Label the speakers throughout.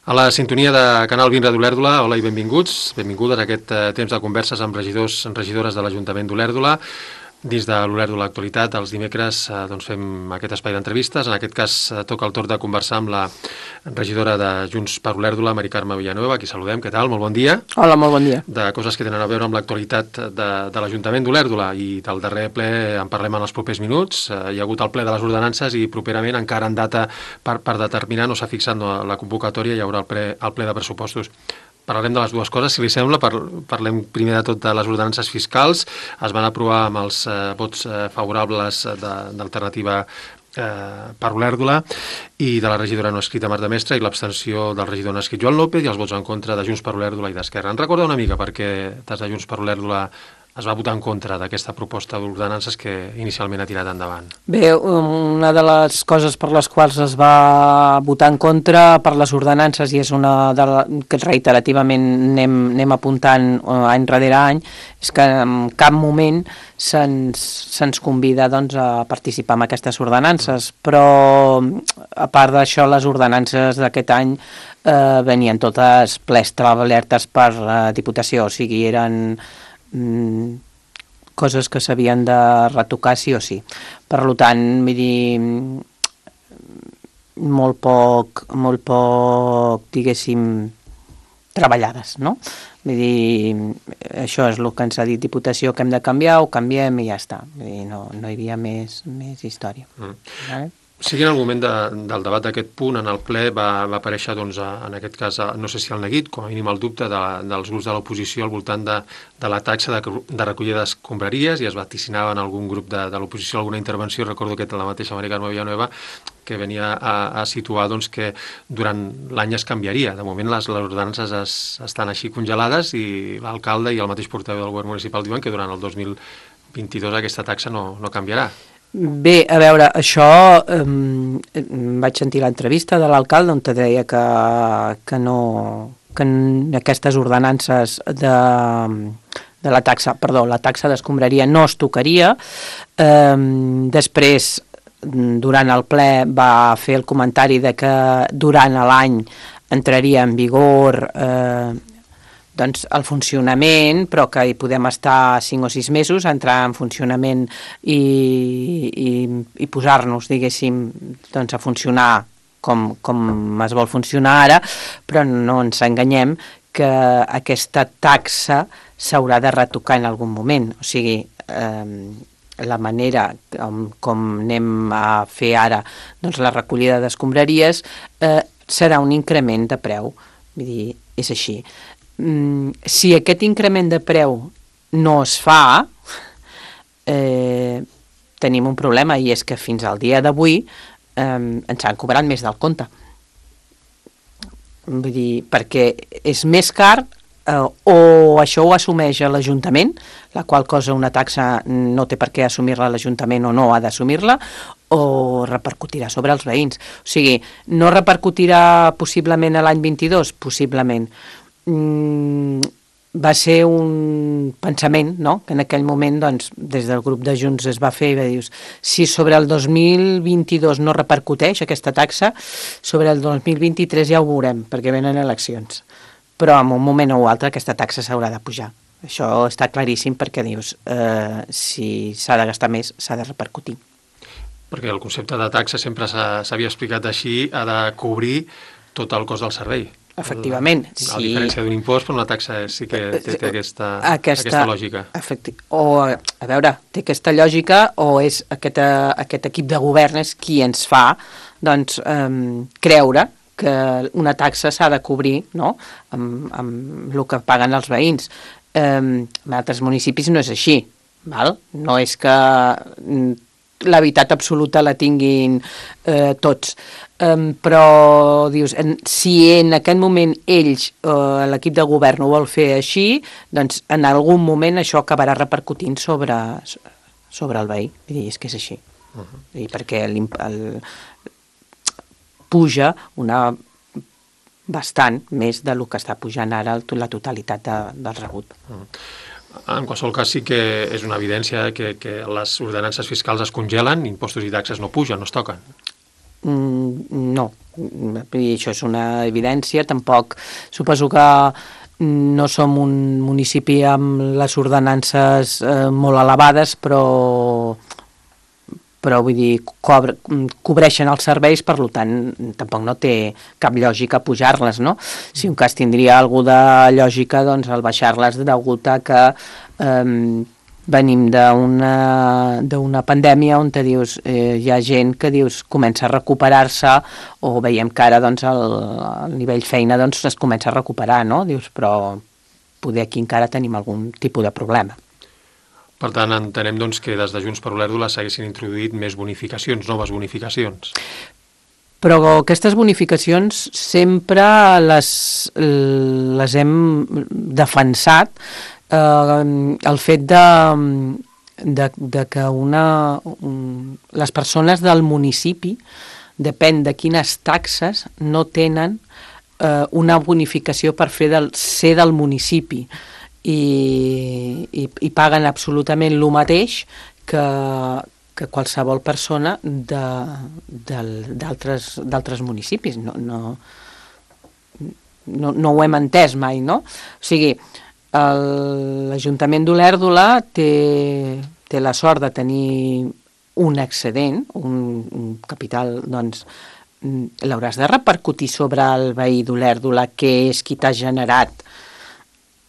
Speaker 1: A la sintonia de Canal 20 d'Olèrdola, hola i benvinguts. Benvingudes a aquest temps de converses amb regidors i regidores de l'Ajuntament d'Olèrdola. Dins de l'Olèrdola Actualitat, els dimecres fem aquest espai d'entrevistes. En aquest cas toca el torn de conversar amb la regidora de Junts per Olèrdola, Mari Carme Villanueva, a qui saludem. Què tal? Molt bon dia.
Speaker 2: Hola, molt bon dia.
Speaker 1: De coses que tenen a veure amb l'actualitat de l'Ajuntament d'Olèrdola, i del darrer ple en parlem en els propers minuts. Hi ha hagut el ple de les ordenances i properament, encara en data per determinar, no s'ha fixat la convocatòria, hi haurà el ple de pressupostos. Parlarem de les dues coses, si li sembla. Parlem primer de tot de les ordenances fiscals. Es van aprovar amb els vots favorables d'Alternativa per Olèrdola i de la regidora no escrita Marta Mestre, i l'abstenció del regidor no escrit Joan López, i els vots en contra de Junts per Olèrdola i d'Esquerra. Ens recorda una mica perquè des de Junts per Olèrdola es va votar en contra d'aquesta proposta d'ordenances que inicialment ha tirat endavant?
Speaker 2: Bé, una de les coses per les quals es va votar en contra per les ordenances, i és una que reiterativament anem apuntant any rere any, és que en cap moment se'ns convida a participar en aquestes ordenances, però a part d'això, les ordenances d'aquest any venien totes ple establertes per la Diputació, o sigui, eren coses que s'havien de retocar sí o sí. Per tant, vull dir, molt poc, diguéssim, treballades, no? Vull dir, això és el que ens ha dit Diputació, que hem de canviar, ho canviem i ja està. Vull dir, no hi havia més història. Vale?
Speaker 1: Sí que en el moment del debat d'aquest punt, en el ple va aparèixer, en aquest cas, no sé si el neguit, com a mínim el dubte dels grups de l'oposició al voltant de la taxa de recollida d'escombraries, i es vaticinava en algun grup de l'oposició alguna intervenció. Recordo que la mateixa Mari Carme Villanueva que venia a situar que durant l'any es canviaria. De moment les ordenances estan així congelades, i l'alcalde i el mateix portaveu del govern municipal diuen que durant el 2022 aquesta taxa no canviarà.
Speaker 2: Bé, a veure, això vaig sentir l'entrevista de l'alcalde on te deia que aquestes ordenances de la taxa d'escombraria no es tocaria. Després, durant el ple, va fer el comentari de que durant l'any entraria en vigor el funcionament, però que hi podem estar 5 o 6 mesos, entrar en funcionament i posar-nos, diguéssim, a funcionar com es vol funcionar ara, però no ens enganyem que aquesta taxa s'haurà de retocar en algun moment. O sigui, la manera com anem a fer ara la recollida d'escombraries serà un increment de preu. Vull dir, és així. Si aquest increment de preu no es fa, tenim un problema, i és que fins al dia d'avui ens han cobrat més del compte. Vull dir, perquè és més car, o això ho assumeix l'Ajuntament, la qual cosa una taxa no té per què assumir-la l'Ajuntament o no ha d'assumir-la, o repercutirà sobre els veïns. O sigui, no repercutirà possiblement a l'any 22? Possiblement. Va ser un pensament, no?, que en aquell moment des del grup de Junts es va fer, i va dir, si sobre el 2022 no repercuteix aquesta taxa, sobre el 2023 ja ho veurem, perquè venen eleccions. Però en un moment o altre aquesta taxa s'haurà de pujar. Això està claríssim, perquè dius, si s'ha de gastar més, s'ha de repercutir.
Speaker 1: Perquè el concepte de taxa sempre s'havia explicat així, ha de cobrir tot el cost del servei.
Speaker 2: Efectivament.
Speaker 1: A diferència d'un impost, però una taxa sí que té aquesta lògica. A veure, té aquesta lògica, o és aquest equip de govern és qui ens fa creure que una taxa s'ha de cobrir, no?, amb el que paguen els veïns. En altres municipis no és així, val? No és que la veritat absoluta la tinguin tots. Però dius, si en aquest moment ells, l'equip de govern ho vol fer així, doncs en algun moment això acabarà repercutint sobre el veí. Vull dir, és que és així. I perquè puja bastant més del que està pujant ara la totalitat del rebut. En qualsevol cas sí que és una evidència que les ordenances fiscals es congelen, impostos i taxes no pugen, no es toquen.
Speaker 2: No, i això és una evidència. Tampoc suposo que no som un municipi amb les ordenances molt elevades, però vull dir, cobreixen els serveis, per tant, tampoc no té cap lògica pujar-les, no? Si un cas tindria alguna de lògica, doncs el baixar-les degut a que venim d'una pandèmia on dius, hi ha gent que dius comença a recuperar-se, o veiem que ara doncs, el nivell feina doncs, es comença a recuperar, no? Dius, però poder aquí encara tenim algun tipus de problema.
Speaker 1: Per tant, entenem doncs, que des de Junts per Olèrdola s'haguessin introduït més bonificacions, noves bonificacions.
Speaker 2: Però aquestes bonificacions sempre les hem defensat, el fet de que les persones del municipi, depèn de quines taxes, no tenen una bonificació per ser del municipi, i paguen absolutament el mateix que qualsevol persona d'altres municipis. No ho hem entès mai, no? O sigui, l'Ajuntament d'Olèrdola té la sort de tenir un excedent, un capital, doncs l'hauràs de repercutir sobre el veí d'Olèrdola, que és qui t'ha generat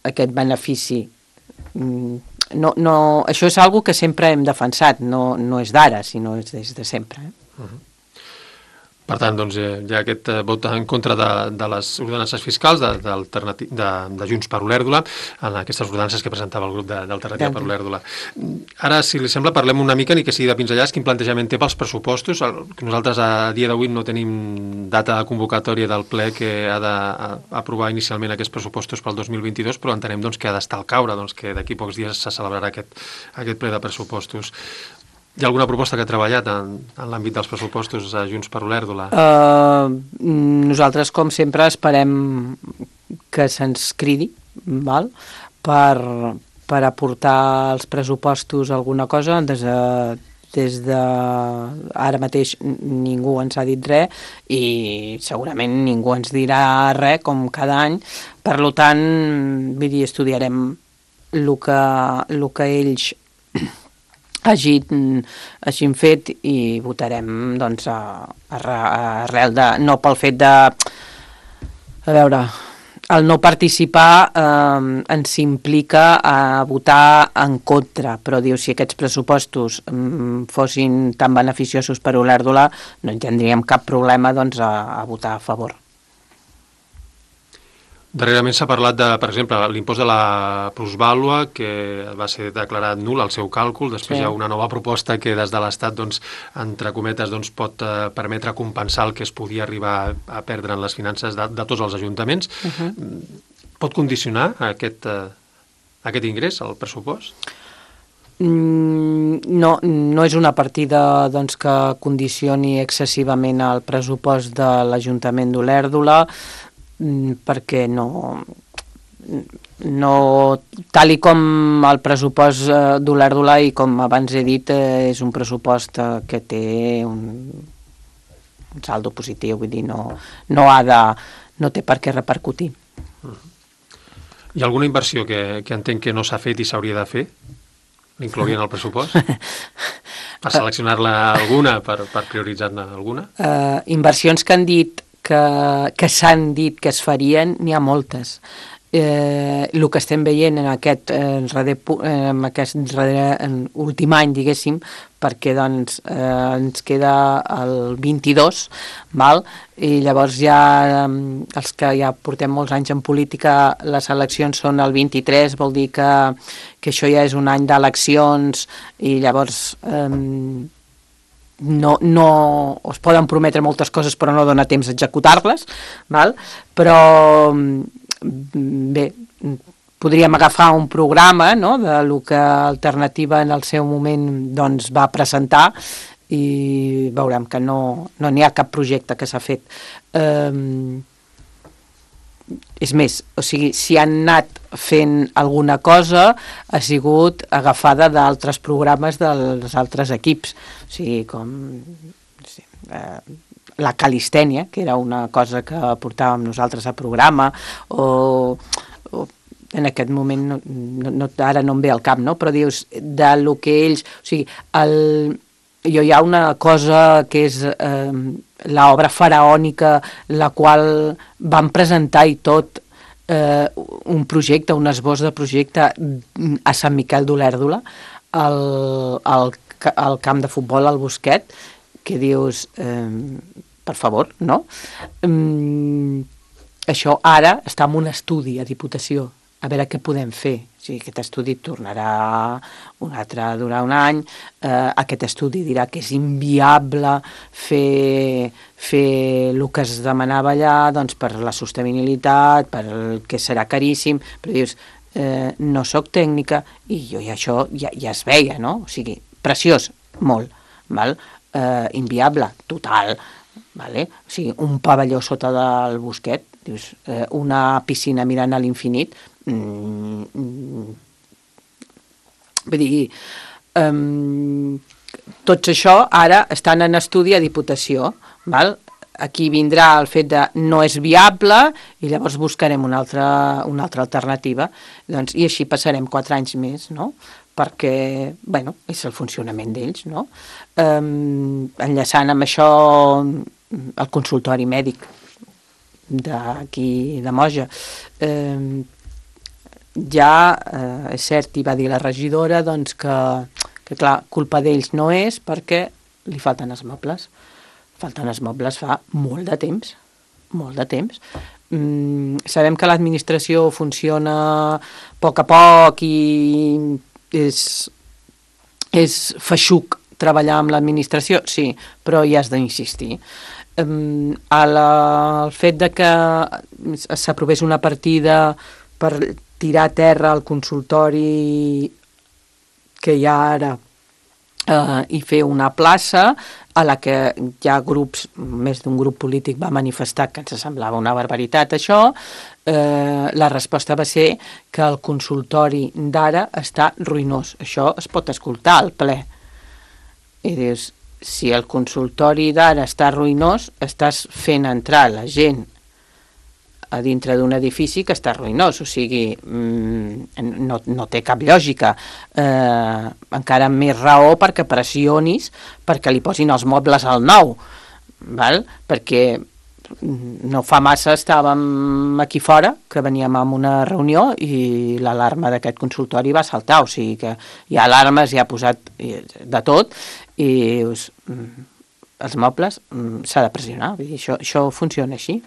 Speaker 2: aquest benefici. Això és algo que sempre hem defensat, no és d'ara, sinó és des de sempre.
Speaker 1: Per tant, doncs, hi ha aquest vot en contra de les ordenances fiscals de Junts per Olèrdola, en aquestes ordenances que presentava el grup d'Alternativa per Olèrdola. Ara, si li sembla, parlem una mica, ni que sigui de pinzellades, quin plantejament té pels pressupostos. Nosaltres a dia d'avui no tenim data de convocatòria del ple que ha d'aprovar inicialment aquests pressupostos pel 2022, però entenem doncs, que ha d'estar al caure, doncs, que d'aquí pocs dies se celebrarà aquest ple de pressupostos. Hi ha alguna proposta que ha treballat en l'àmbit dels pressupostos a Junts per Olèrdola?
Speaker 2: Nosaltres, com sempre, esperem que se'ns cridi, val? Per aportar als pressupostos alguna cosa. Des de ara mateix ningú ens ha dit res i segurament ningú ens dirà res, com cada any. Per tant, vull dir, estudiarem el que ells hagin fet i votarem doncs arrel de, no pel fet de, a veure, el no participar ens implica a votar en contra, però diu, si aquests pressupostos fossin tan beneficiosos per Olèrdola, no en tindríem cap problema doncs a votar a favor.
Speaker 1: Darrerament s'ha parlat de, per exemple, l'impost de la plusvàlua, que va ser declarat nul al seu càlcul. Després hi ha una nova proposta que des de l'Estat, doncs, entre cometes, doncs, pot permetre compensar el que es podia arribar a perdre en les finances de tots els ajuntaments. Pot condicionar aquest ingrés al pressupost?
Speaker 2: No és una partida doncs, que condicioni excessivament el pressupost de l'Ajuntament d'Olèrdola, perquè tal com el pressupost d'Olèrdola, i com abans he dit, és un pressupost que té un saldo positiu, vull dir, no té per què repercutir.
Speaker 1: Hi ha alguna inversió que entenc que no s'ha fet i s'hauria de fer? L'inclourien al pressupost? Per seleccionar-la alguna, per prioritzar-ne alguna?
Speaker 2: Inversions que han dit que s'han dit que es farien, n'hi ha moltes. El que estem veient en aquest últim any, diguéssim, perquè doncs, ens queda el 22, val? I llavors ja els que ja portem molts anys en política, les eleccions són el 23, vol dir que això ja és un any d'eleccions, i llavors no es poden prometre moltes coses però no dona temps a executar-les, val? Però bé, podríem agafar un programa, no?, de lo que Alternativa en el seu moment doncs, va presentar, i veurem que no n'hi ha cap projecte que s'ha fet. És més, o sigui, si han anat fent alguna cosa ha sigut agafada d'altres programes dels altres equips, o sigui, com la calistènia, que era una cosa que portàvem nosaltres a programa, o en aquest moment, ara no em ve al cap, no? Però dius, de lo que ells... O sigui, hi ha una cosa que és l'obra faraònica, la qual van presentar i tot, un projecte, un esbós de projecte a Sant Miquel d'Olèrdola, al camp de futbol, al Bosquet, que dius, per favor, no? Això ara està en un estudi a Diputació, a veure què podem fer. O sigui, aquest estudi tornarà un altre a durar un any, aquest estudi dirà que és inviable fer el que es demanava allà, doncs per la sostenibilitat, per el que serà caríssim, però dius, no sóc tècnica, i això ja es veia, no? O sigui, preciós, molt, val? Inviable, total, vale? O sigui, un pavelló sota del Bosquet, dius, una piscina mirant a l'infinit, vull dir, tots això ara estan en estudi a Diputació, val? Aquí vindrà el fet de no és viable i llavors buscarem una altra alternativa, doncs, i així passarem 4 anys més, no? Perquè, bueno, és el funcionament d'ells, no? Enllaçant amb això el consultori mèdic d'aquí de Moja, ja és cert, i va dir la regidora, doncs que clar, culpa d'ells no és perquè li falten els mobles. Falten els mobles fa molt de temps, molt de temps. Sabem que l'administració funciona a poc i és feixuc treballar amb l'administració, sí, però hi has d'insistir. El fet de que s'aprovés una partida per tirar a terra el consultori que hi ha ara i fer una plaça a la que hi ha grups, més d'un grup polític va manifestar que ens semblava una barbaritat això, la resposta va ser que el consultori d'ara està ruïnós. Això es pot escoltar al ple. I dius, si el consultori d'ara està ruïnós, estàs fent entrar la gent a dintre d'un edifici que està ruïnós, o sigui, no té cap lògica. Encara més raó perquè pressionis perquè li posin els mobles al nou, val? Perquè no fa massa estàvem aquí fora, que veníem a una reunió i l'alarma d'aquest consultori va saltar, o sigui que hi ha alarmes, hi ha posat de tot, i els mobles s'ha de pressionar, vull dir, això funciona així.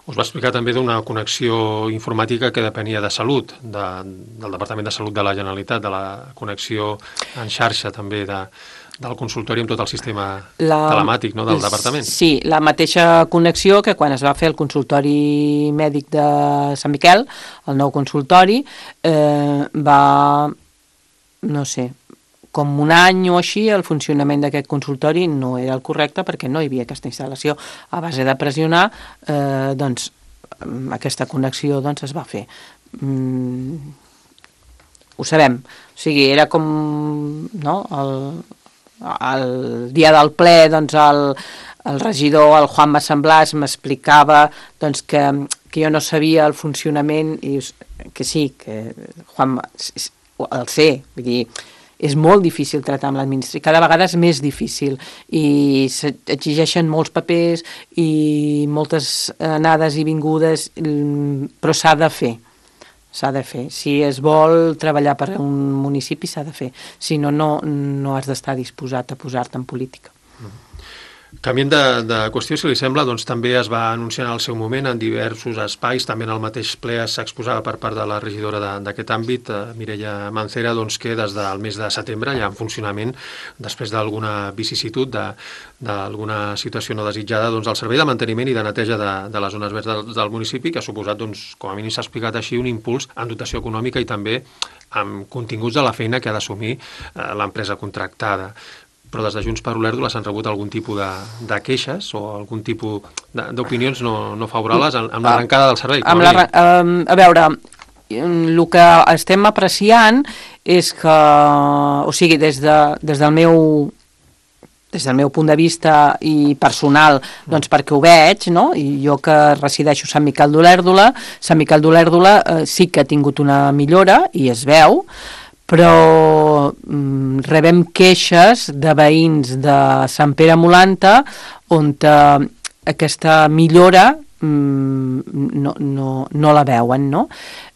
Speaker 1: Us va explicar també d'una connexió informàtica que depenia de Salut, del Departament de Salut de la Generalitat, de la connexió en xarxa també del consultori amb tot el sistema telemàtic, no, del departament. Sí,
Speaker 2: la mateixa connexió que quan es va fer el consultori mèdic de Sant Miquel, el nou consultori, va, no sé, com un any o així, el funcionament d'aquest consultori no era el correcte perquè no hi havia aquesta instal·lació. A base de pressionar, doncs, aquesta connexió doncs, es va fer. Ho sabem. O sigui, era com, no?, el dia del ple, doncs, el regidor, el Juan Massemblàs, m'explicava doncs, que jo no sabia el funcionament, i que sí, que Juan el sé, vull dir, és molt difícil tractar amb l'administració, cada vegada és més difícil i s'exigeixen molts papers i moltes anades i vingudes, però s'ha de fer. Si es vol treballar per un municipi s'ha de fer, si no, no has d'estar disposat a posar-te en política.
Speaker 1: Canviant de qüestió, si li sembla, doncs també es va anunciar en el seu moment en diversos espais, també en el mateix ple s'exposava per part de la regidora d'aquest àmbit, Mireia Mancera, doncs que des del mes de setembre, ja en funcionament, després d'alguna vicisitud, d'alguna situació no desitjada, doncs el servei de manteniment i de neteja de les zones verdes del municipi, que ha suposat, doncs, com a mínim s'ha explicat així, un impuls en dotació econòmica i també amb continguts de la feina que ha d'assumir l'empresa contractada. Però des de Junts per Olèrdola s'han rebut algun tipus de queixes o algun tipus d'opinions no favorables amb l'arrencada del servei?
Speaker 2: A veure, el que estem apreciant és que, o sigui, des del meu des del meu punt de vista i personal, doncs perquè ho veig, no? I jo que resideixo a Sant Miquel d'Olèrdola, Sant Miquel d'Olèrdola sí que ha tingut una millora i es veu, però rebem queixes de veïns de Sant Pere Molanta on aquesta millora no la veuen, no?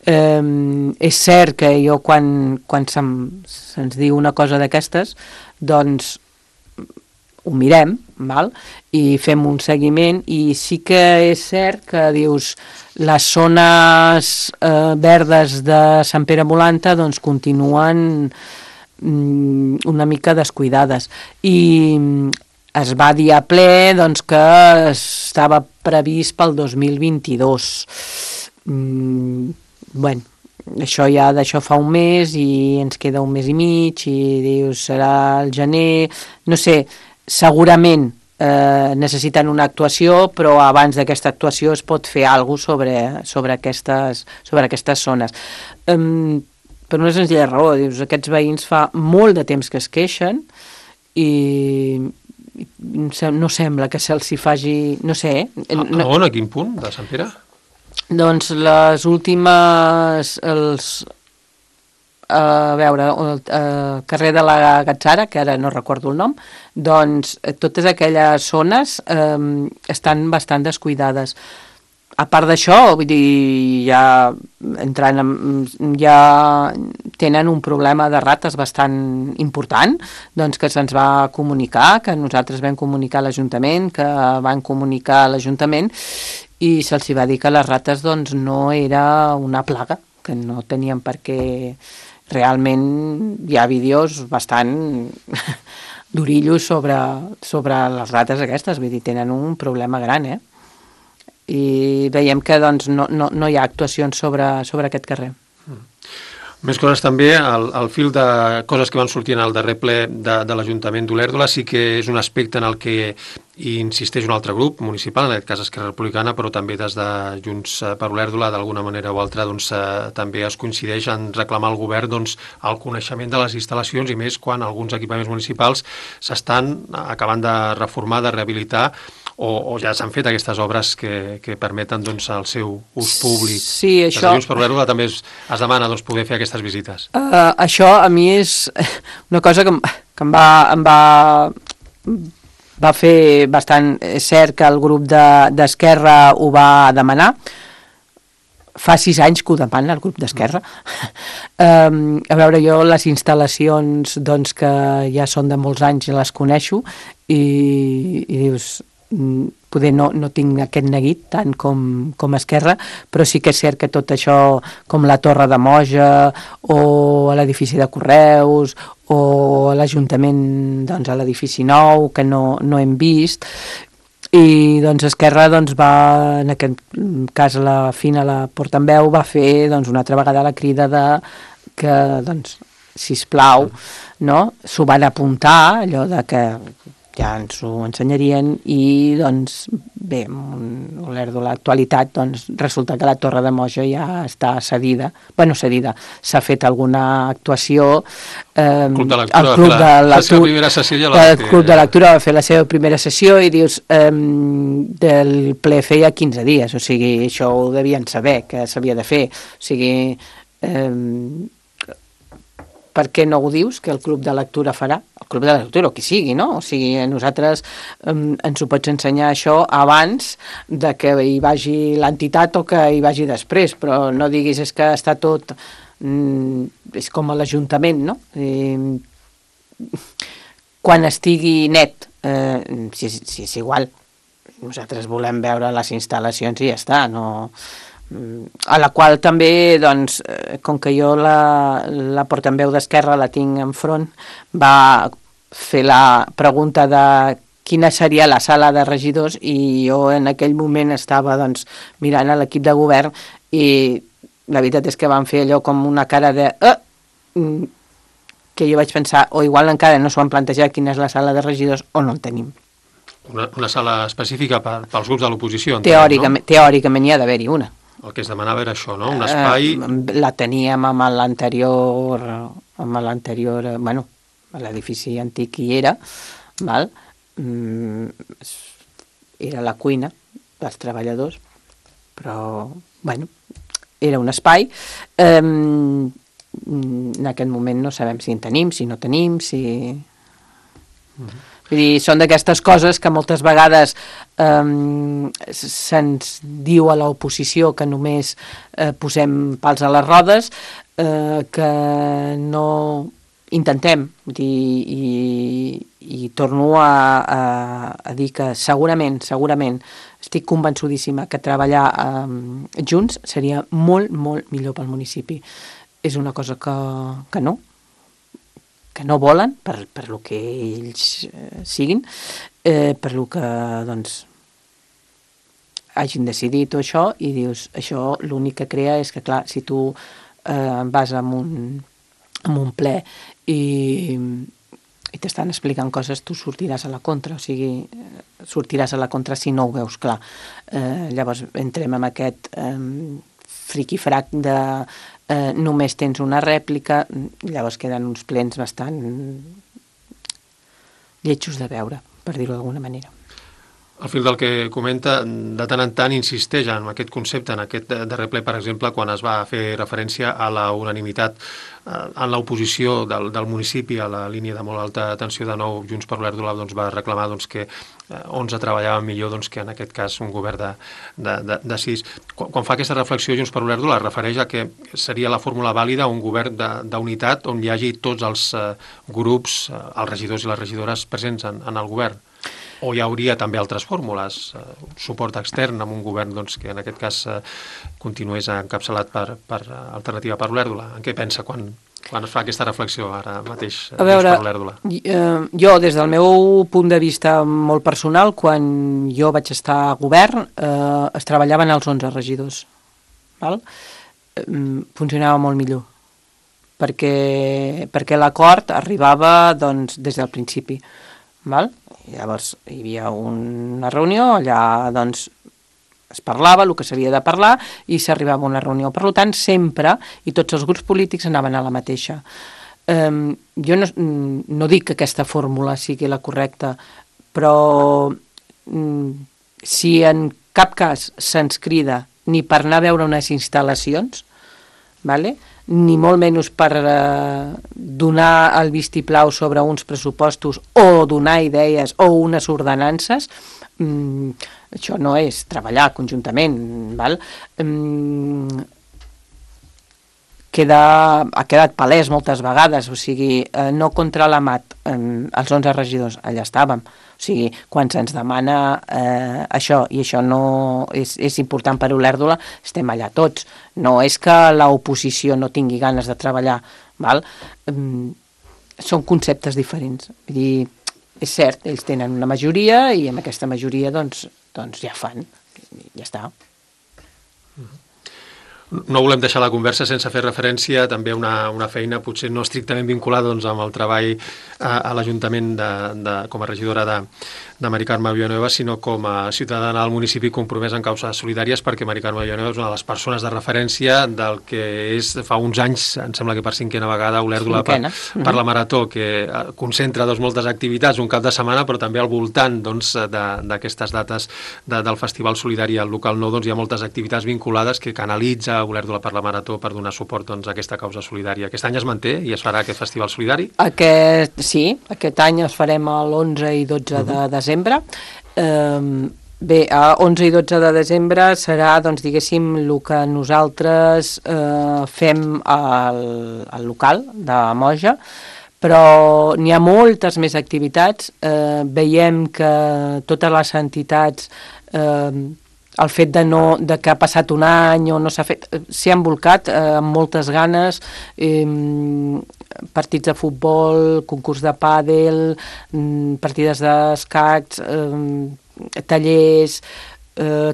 Speaker 2: És cert que jo quan se'ns diu una cosa d'aquestes, doncs ho mirem, val? I fem un seguiment, i sí que és cert que dius les zones verdes de Sant Pere Molanta doncs continuen una mica descuidades, i es va dir a ple doncs, que estava previst pel 2022. Bueno, d'això fa un mes i ens queda un mes i mig i dius serà el gener, no sé, segurament necessiten una actuació, però abans d'aquesta actuació es pot fer alguna cosa sobre aquestes zones. Per una senzilla raó, dius, aquests veïns fa molt de temps que es queixen i no sembla que se'ls hi faci, no sé.
Speaker 1: On, a quin punt de Sant Pere?
Speaker 2: Doncs les últimes, a veure, el carrer de la Gatzara, que ara no recordo el nom, doncs totes aquelles zones estan bastant descuidades. A part d'això, vull dir, ja tenen un problema de rates bastant important, doncs que se'ns va comunicar, que nosaltres vam comunicar a l'Ajuntament, que van comunicar a l'Ajuntament, i se'ls va dir que les rates doncs, no era una plaga, que no tenien per què. Realment hi ha vídeos bastant durillos sobre les rates aquestes, vull dir, tenen un problema gran, i veiem que doncs, no hi ha actuacions sobre aquest carrer.
Speaker 1: Més coses també, al fil de coses que van sortint al darrer ple de l'Ajuntament d'Olèrdola, sí que és un aspecte en el que insisteix un altre grup municipal, en aquest cas Esquerra Republicana, però també des de Junts per Olèrdola, d'alguna manera o altra, doncs, també es coincideix en reclamar al govern doncs, el coneixement de les instal·lacions, i més quan alguns equipaments municipals s'estan acabant de reformar, de rehabilitar, o ja s'han fet aquestes obres que permeten doncs, el seu ús públic.
Speaker 2: Sí, això...
Speaker 1: Des de Junts per Olèrdola també es demana doncs, poder fer aquestes visites.
Speaker 2: Això a mi és una cosa que em va fer bastant. És cert que el grup d'Esquerra ho va demanar. Fa 6 anys que ho demana el grup d'Esquerra. A veure, jo les instal·lacions doncs, que ja són de molts anys les coneixo i dius... poder no tinc aquest neguit tant com Esquerra, però sí que és cert que tot això, com la Torre de Moja o l'edifici de Correus o l'Ajuntament, doncs, a l'edifici nou, que no hem vist, i doncs Esquerra doncs, va, en aquest cas la Fina, la portaveu, va fer doncs, una altra vegada la crida de que, doncs, sisplau, no? S'ho van apuntar, allò de que ja ens ho ensenyarien, i doncs bé, amb l'actualitat doncs, resulta que la Torre de Moja ja està cedida, s'ha fet alguna actuació,
Speaker 1: el Club de
Speaker 2: Lectura va fer la seva primera sessió i dius, del ple feia 15 dies, o sigui, això ho devien saber que s'havia de fer, o sigui, per què no ho dius, que el Club de Lectura farà? El Club de Lectura, o qui sigui, no? O sigui, a nosaltres ens ho pots ensenyar això abans de que hi vagi l'entitat o que hi vagi després, però no diguis és que està tot... és com a l'Ajuntament, no? Quan estigui net, si és igual, nosaltres volem veure les instal·lacions i ja està, no... a la qual també, doncs, com que jo la portaveu d'Esquerra la tinc enfront, va fer la pregunta de quina seria la sala de regidors, i jo en aquell moment estava doncs, mirant a l'equip de govern i la veritat és que van fer allò com una cara de... que jo vaig pensar, o igual encara no s'ho han plantejat quina és la sala de regidors o no en tenim.
Speaker 1: Una sala específica pels grups de l'oposició?
Speaker 2: Teòricament hi ha d'haver-hi una.
Speaker 1: El que es demanava era això, no? Un espai...
Speaker 2: La teníem amb l'anterior, bueno, l'edifici antic hi era, val? era la cuina dels treballadors, però, bueno, era un espai. En aquest moment no sabem si en tenim, si no tenim, si... Vull dir, són d'aquestes coses que moltes vegades se'ns diu a l'oposició que només posem pals a les rodes, que no intentem, i torno a dir que segurament estic convençudíssima que treballar junts seria molt, molt millor pel municipi. És una cosa que no volen, per lo que ells siguin, per lo que, doncs, hagin decidit o això, i dius, això l'únic que crea és que, clar, si tu vas en un ple i t'estan explicant coses, tu sortiràs a la contra, o sigui, sortiràs a la contra si no ho veus clar. Llavors entrem en aquest friqui-frac de només tens una rèplica, llavors queden uns plens bastant lletjos de veure, per dir-ho d'alguna manera.
Speaker 1: Al fil del que comenta, de tant en tant insisteix en aquest concepte, en aquest darrer ple, per exemple, quan es va fer referència a la unanimitat en l'oposició del municipi a la línia de molt alta tensió de nou, Junts per l'Olèrdola va reclamar que 11 treballaven millor que en aquest cas un govern de 6. Quan fa aquesta reflexió Junts per l'Olèrdola es refereix a que seria la fórmula vàlida un govern d'unitat on hi hagi tots els grups, els regidors i les regidores presents en el govern. O hi hauria també altres fórmules, suport extern amb un govern que en aquest cas continués encapçalat per Alternativa per l'Olèrdola. En què pensa quan es fa aquesta reflexió ara mateix
Speaker 2: a veure,
Speaker 1: per l'Olèrdola?
Speaker 2: Jo, des del meu punt de vista molt personal, quan jo vaig estar a govern, es treballaven els 11 regidors. Val? Funcionava molt millor, perquè l'acord arribava des del principi. Val? Llavors hi havia una reunió, allà es parlava el que s'havia de parlar i s'arribava a una reunió. Per tant, sempre, i tots els grups polítics anaven a la mateixa. Jo no dic que aquesta fórmula sigui la correcta, però si en cap cas se'ns crida ni per anar a veure unes instal·lacions, vale? Ni molt menys per donar el vistiplau sobre uns pressupostos o donar idees o unes ordenances, això no és treballar conjuntament, val? Ha quedat palès moltes vegades, o sigui, no contra la mat, els 11 regidors, allà estàvem. O sigui, quan se'ns demana això, i això no és important per Olèrdola, estem allà tots. No és que l'oposició no tingui ganes de treballar, val? Són conceptes diferents. Vull dir, és cert, ells tenen una majoria i amb aquesta majoria doncs ja fan, ja està.
Speaker 1: No volem deixar la conversa sense fer referència també a una feina potser no estrictament vinculada amb el treball a l'Ajuntament com a regidora de Mari Carme Villanueva, sinó com a ciutadana del municipi compromesa en causes solidàries, perquè Mari Carme Villanueva és una de les persones de referència del que és fa uns anys, em sembla que per 5a vegada, Olèrdola per la Marató, que concentra moltes activitats un cap de setmana, però també al voltant d'aquestes dates del Festival Solidari al local 9 hi ha moltes activitats vinculades que canalitza Olèrdola per la Marató per donar suport a aquesta causa solidària. Aquest any es manté i es farà aquest Festival Solidari?
Speaker 2: Sí, aquest any es farem l'11 i 12 de desembre. Bé, 11 i 12 de desembre serà, diguéssim, el que nosaltres fem al local de Moja, però n'hi ha moltes més activitats. Veiem que totes les entitats, el fet de que ha passat un any o no s'ha fet, s'hi han volcat amb moltes ganes, partits de futbol, concurs de pàdel, partides d'escacs, tallers,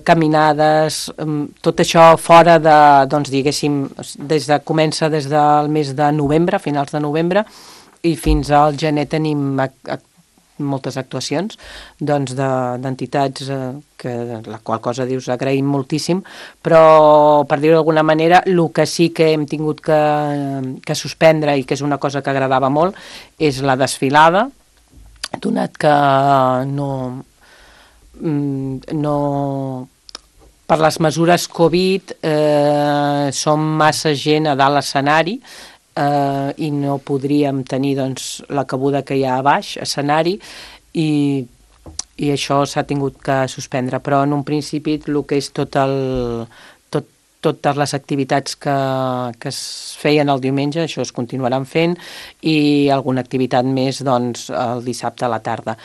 Speaker 2: caminades, tot això fora de, diguéssim, comença des del mes de novembre, finals de novembre, i fins al gener tenim moltes actuacions d'entitats, que la qual cosa dius agraïm moltíssim, però per dir-ho d'alguna manera el que sí que hem tingut que suspendre i que és una cosa que agradava molt és la desfilada, donat que no per les mesures Covid som massa gent a dalt l'escenari i no podríem tenir doncs, la cabuda que hi ha a baix, escenari, i això s'ha tingut que suspendre, però en un principi el que és totes les activitats que es feien el diumenge, això es continuaran fent, i alguna activitat més doncs, el dissabte a la tarda.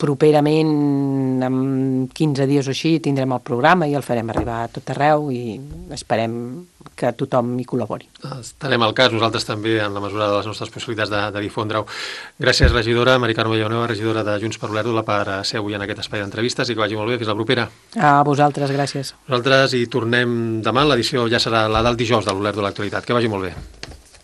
Speaker 2: Properament, en 15 dies o així, tindrem el programa i el farem arribar a tot arreu i esperem que tothom hi col·labori.
Speaker 1: Estarem al cas, nosaltres també, en la mesura de les nostres possibilitats de difondre-ho. Gràcies, regidora. Mari Carme Villanueva, regidora de Junts per Olèrdola, per ser avui en aquest espai d'entrevistes i que vagi molt bé. Fins la propera.
Speaker 2: A vosaltres, gràcies.
Speaker 1: Nosaltres hi tornem demà. L'edició ja serà la del dijous de l'Olèrdola Actualitat. Que vagi molt bé.